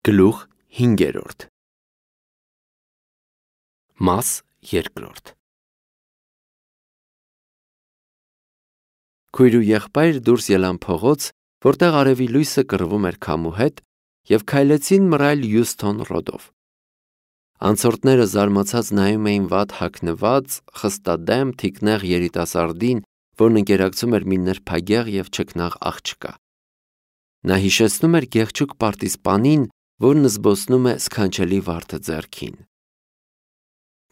Գլուխ 5 Մաս 2 Քույր ու եղբայր դուրս ելան փողոց, որտեղ արևի լույսը կռվում էր քամու հետ, և քայլեցին մռայլ Հյուստոն ռոդով։ Անցորդները զարմացած նայում էին վատ հագնված, խստադեմ, թիկնեղ երիտասարդին, որն ընկերակցում էր մի նրբագեղ և չքնաղ աղջկա։ Նա հիշեցնում էր գեղեցիկ պարտիզպանին, որն զբոսնում է սքանչելի վարդը ձեռքին։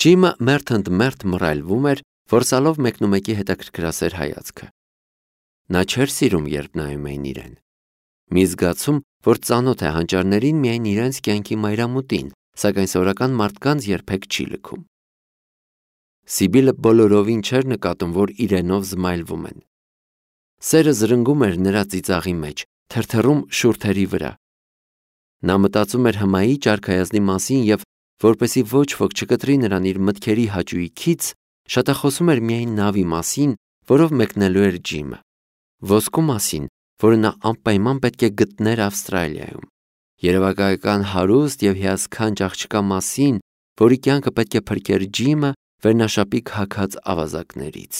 Ջիմը մերթ ընդ մերթ մռայլվում էր, որսալով մեկնումեկի հետաքրքրասեր հայացքը։ Նա չէր սիրում, երբ նայում էին իրեն։ Մի զգացում, որ ծանոթ է հանճարներին միայն իրենց կյանքի մայրամուտին, սակայն սովորական մարդկանց երբեք չի լքում։ Սիբիլը բոլորովին չէր նկատում, որ իրենով զմայլվում են։ Սերը զրնգում էր նրա ծիծաղի մեջ, թրթռում շուրթերի վրա։ Նա մտածում էր հմայի ճարքայազնի մասին և, որպեսզի ոչ ոք չկտրի նրան իր մտքերի հաճույքից, շատախոսում էր միայն նավի մասին, որով մեկնելու էր Ջիմը, ոսկու մասին, որը նա անպայման պետք է գտներ Ավստրալիայում, երևակայական հարուստ և հիասքանչ աղջկա մասին, որի կյանքը պետք է փրկեր Ջիմը վերնաշապիկ հագած ավազակներից։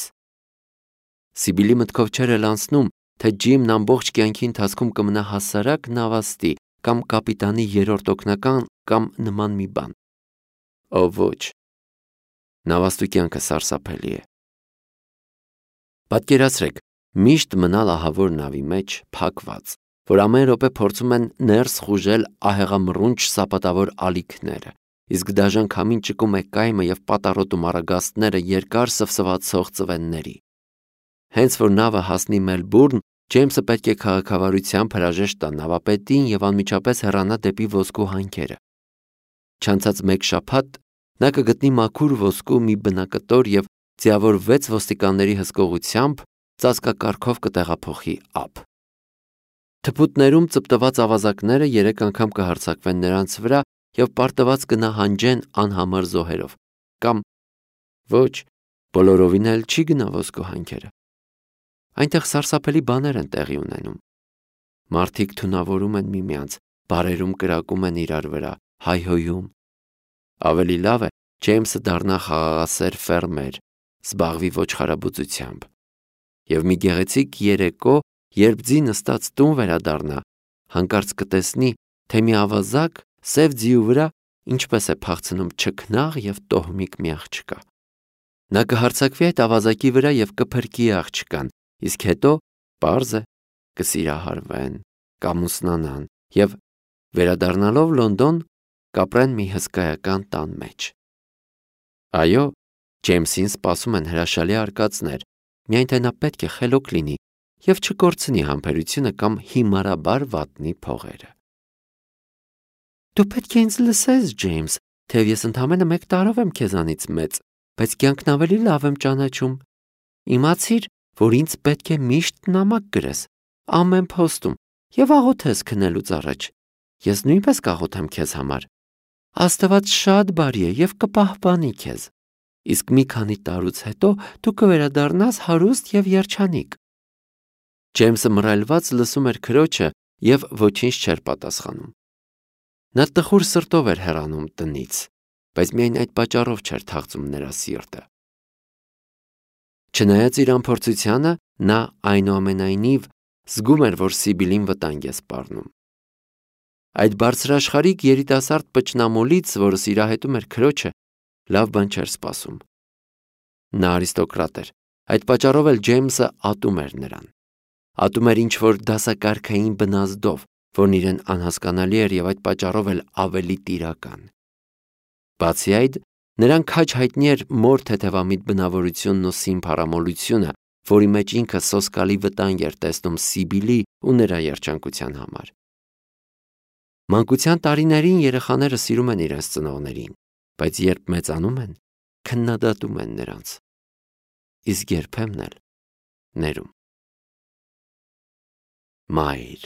Սիբիլի մտքով չէր էլ անցնում, թե Ջիմն ամբողջ կյանքի ընթացքում կմնա հասարակ նավաստի կամ կապիտանի երրորդ օգնական կամ նման մի բան։ Ո ոչ, նավաստու կյանքը սարսափելի է։ Պատկերացրեք, միշտ մնալ ահավոր նավի մեջ, փակված, որ ամեն րոպե փորձում են ներս խուժել ահեղամռունչ սապատավոր ալիքները, իսկ դաժան քամին ճկում է կայմը և պատառոտում առագաստները երկար սվսվացող ծվենների։ Հենց որ նավը հասնի Մելբուրն, Ջեյմսը պետք է քաղաքավարությամբ հրաժեշտ տա նավապետին և անմիջապես հեռանա դեպի ոսկու հանքերը։ Չանցած մեկ շաբաթ նա կգտնի մաքուր ոսկու մի բնակտոր և ձիավոր 6 ոստիկանների հսկողությամբ ծածկակարգով կտեղափոխի ափ։ Թփուտներում ծպտված ավազակները 3 անգամ կհարձակվեն նրանց վրա և պարտված կնահանջեն անհամար զոհերով, կամ ոչ, բոլորովին էլ չի գնա ոսկու հանքերը։ Այնտեղ սարսափելի բաներ են տեղի ունենում։ Մարդիկ թունավորում են միմյանց, բարերում կրակում են իրար վրա, հայհոյում։ Ավելի լավ է Ջեյմսը դառնա խաղաղասեր ֆերմեր, զբաղվի ոչխարաբուծությամբ։ Եվ մի գեղեցիկ երեկո, երբ ձի նստած տուն վերադառնա, հանկարծ կտեսնի, թե մի ավազակ սև ձիու վրա ինչպես է փախցնում չքնաղ և տոհմիկ մի աղջկա։ Նա կհարձակվի այդ ավազակի վրա և կփրկի աղջկան, իսկ հետո, պարզ է, կսիրահարվեն, կամուսնանան և, վերադառնալով Լոնդոն, կապրեն մի հսկայական տան մեջ։ Այո, Ջեյմսին սպասում են հրաշալի արկածներ, միայն թե նա պետք է խելոք լինի և չկորցնի համբերությունը կամ հիմարաբար վատնի փողերը։ Դու պետք է ինձ լսես, Ջեյմս, թեև ես ընդամենը 1 տարով եմ քեզանից մեծ, բայց կյանքն ավելի լավ եմ ճանաչում։ Իմացիր, որ ինձ պետք է միշտ նամակ գրես, ամեն փոստում, և աղոթես քնելուց առաջ։ Ես նույնպես կաղոթեմ քեզ համար։ Աստված շատ բարի է և կպահպանի քեզ։ Իսկ մի քանի տարուց հետո դու կվերադառնաս հարուստ և երջանիկ։ Ջեյմսը մռայլված լսում էր քրոջը և ոչինչ չէր պատասխանում։ Նա տխուր սրտով էր հեռանում տնից, բայց միայն այդ պատճառով չէր թախծում նրա սիրտը։ Չնայած իր անփորձությանը, նա այնուամենայնիվ զգում էր, որ Սիբիլին վտանգ է սպառնում։ Այդ բարձրաշխարհիկ երիտասարդ պճնամոլից, որը սիրահետում էր քրոջը, լավ բան չէր սպասում։ Նա արիստոկրատ էր, այդ պատճառով էլ Ջեյմսը ատում էր նրան։ Ատում էր ինչ-որ դասակարգային բնազդով, որն իրեն անհասկանալի էր և այդ պատճառով էլ ավելի տիրական։ Բացի այդ, նրան քաջ հայտնի էր մոր թեթևամիտ բնավորությունն ու սիմփարամոլությունը, որի մեջ ինքը սոսկալի վտանգ էր տեսնում Սիբիլի ու նրա երջանկության համար։ Մանկության տարիներին երեխաները սիրում են իրենց ծնողներին, բայց երբ մեծանում են, քննադատում են նրանց։ Իսկ երբեմն էլ ներում։ Մայր։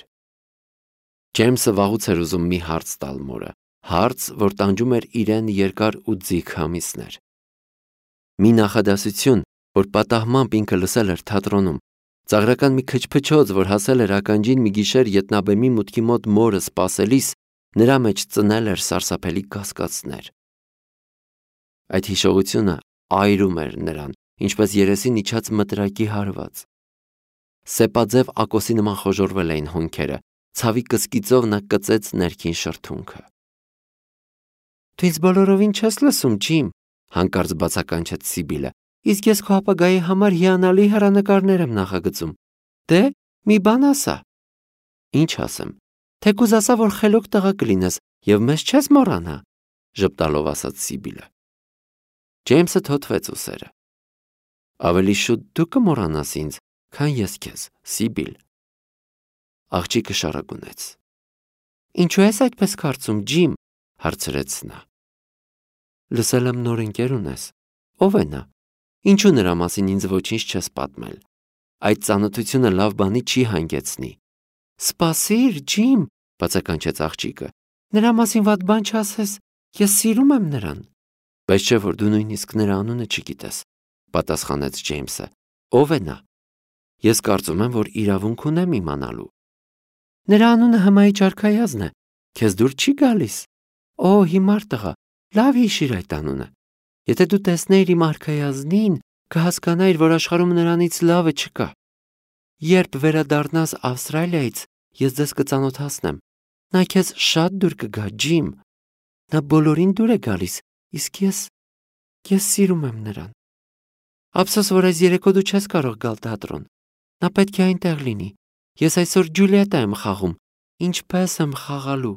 Ջեյմսը վաղուց էր ուզում մի հարց տալ մորը, հարց, որ տանջում էր իրեն երկար ու ձիգ ամիսներ։ Մի նախադասություն, որ պատահմամբ ինքը լսել էր թատրոնում, ծաղրական մի քչփչոց, որ հասել էր ականջին մի գիշեր ետնաբեմի մուտքի մոտ մորը սպասելիս, Նրա մեջ ծնել էր սարսափելի կասկածներ։ Այդ հիշողությունը այրում էր նրան, ինչպես երեսին իջած մտրակի հարված։ Սեպաձև ակոսի նման խոժորվել էին հոնքերը, ցավի կսկիծով նա կծեց ներքին շրթունքը։ Դու ինձ բոլորովին չես լսում, Ջիմ, հանկարծ բացականչեց Սիբիլը, իսկ ես քո ապագայի համար հիանալի հեռանկարներ եմ նախագծում։ Դե, մի բան ասա։ Ինչ ասեմ, թեկուզ ասա, որ խելոք տղա կլինես և մեզ չես մոռանա, ժպտալով ասաց Սիբիլը։ Ջեյմսը թոթվեց ուսերը։ Ավելի շուտ դու կմոռանաս ինձ, քան ես քեզ, Սիբիլ։ Աղջիկը շարագունեց։ Ինչու ես այդպես կարծում, Ջիմ, հարցրեց նա։ Լսել եմ նոր ընկեր ունես։ Ո՞վ է նա։ Ինչու նրա մասին ինձ ոչինչ չես պատմել։ Այդ ծանոթությունը լավ բանի չի հանգեցնի։ Սպասիր, Ջիմ, բացականչեց աղջիկը։ Նրա մասին վատ բան չասես, ես սիրում եմ նրան։ Բայց չէ որ դու նույնիսկ նրա անունը չգիտես, պատասխանեց Ջեյմսը։ Ո՞վ է նա։ Ես կարծում եմ, որ իրավունք ունեմ իմանալու։ Նրա անունը հմայիչ արքայազն է, քեզ դուր չի գալիս։ Օ, հիմար տղա, լավ հիշիր այդ անունը։ Եթե դու տեսնեիր իմ արքայազնին, կհասկանայիր, որ աշխարհում նրանից լավը չկա։ Երբ վերադառնաս Ավստրալիայից, ես ձեզ կծանոթացնեմ։ Նա քեզ շատ դուր կգա, Ջիմ։ Նա բոլորին դուր է գալիս, իսկ ես սիրում եմ նրան։ Ափսոս, որ այս երեկո դու չես կարող գալ թատրոն։ Նա պետք է այնտեղ լինի։ Ես այսօր Ջուլիետա եմ խաղում։ Ինչպես եմ խաղալու։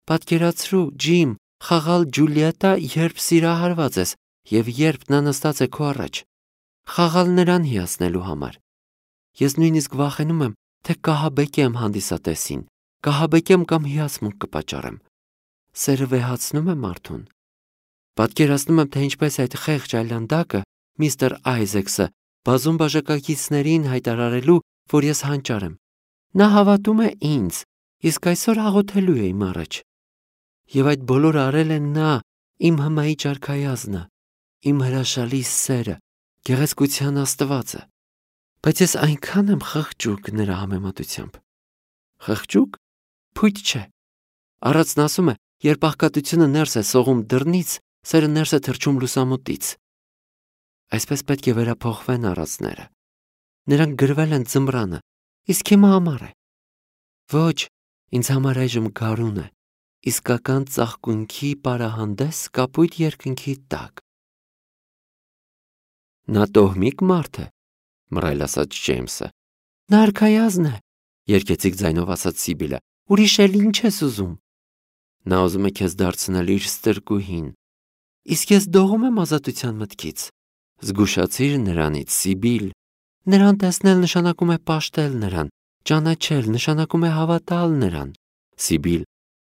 Պատկերացրու, Ջիմ, խաղալ Ջուլիետա, երբ սիրահարված ես, և երբ նա նստած է քո առաջ։ Խաղալ նրան հիացնելու համար։ Ես նույնիսկ վախենում եմ, թե կահաբեկեմ հանդիսատեսին, կահաբեկեմ կամ հիացմունք կպատճառեմ։ Սերը վեհացնում է մարդուն։ Պատկերացնում եմ, թե ինչպես այդ խեղճ այլանդակը, միստր Այզեքսը, բազում բաժակակիցներին հայտարարելու, որ ես հանճար եմ։ Նա հավատում է ինձ, իսկ այսօր աղոթելու է իմ առաջ։ Եվ այդ բոլորը արել է նա, իմ հմայիչ արքայազնը, իմ հրաշալի սերը, գեղեցկության աստվածը։ Բայց ես այնքան եմ խղճուկ նրա համեմատությամբ։ Խղճուկ։ Փույթ չէ։ Առածն ասում է, երբ աղքատությունը ներս է սողում դռնից, սերը ներս է թռչում լուսամուտից։ Այսպես պետք է վերափոխվեն առածները։ Նրանք գրվել են ձմռանը, իսկ հիմա ամառ է։ Ոչ, ինձ համար այժմ գարուն է, իսկական ծաղկունքի պարահանդես կապույտ երկնքի տակ։ Նա տոհմիկ մարդ է, մռայլ ասաց Ջեյմսը։ Նա արքայազն է, երգեցիկ ձայնով ասաց Սիբիլը։ Ուրիշ էլ ինչ ես ուզում։ Նա ուզում է քեզ դարձնել իր ստրկուհին։ Իսկ ես դողում եմ ազատության մտքից։ Զգուշացիր նրանից, Սիբիլ։ Նրան տեսնել նշանակում է պաշտել նրան, ճանաչել նշանակում է հավատալ նրան։ Սիբիլ,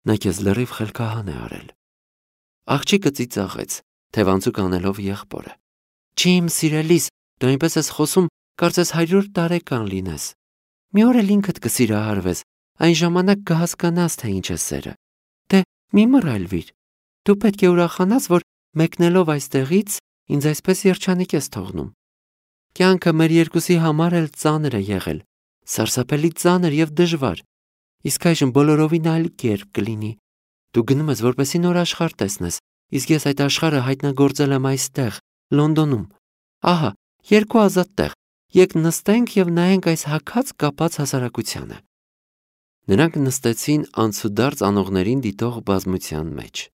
նա քեզ լրիվ խելքահան է արել։ Աղջիկը ծիծաղեց, թևանցուկ անելով եղբորը։ Ջիմ, սիրելիս, դու այնպես ես խոսում, կարծես 100 տարեկան լինես։ Մի օր էլ ինքդ կսիրահարվես, այն ժամանակ կհասկանաս, թե ինչ է սերը։ Դե, մի մռայլվիր։ Դու պետք է ուրախանաս, որ մեկնելով այստեղից ինձ այսպես երջանիկ ես թողնում։ Կյանքը մեր երկուսի համար էլ ծանր է եղել, սարսափելի ծանր և դժվար, իսկ այժմ բոլորովին այլ կերպ կլինի։ Դու գնում ես, որպեսզի նոր աշխարհ տեսնես, իսկ ես այդ աշխարհը հայտնագործել եմ այստեղ, Լոնդոնում։ Ահա, 2 ազատ տեղ, եկ նստենք և նայենք այս հագած կապած հասարակությանը։ Նրանք նստեցին անցուդարձ անողներին դիտող բազմության մեջ։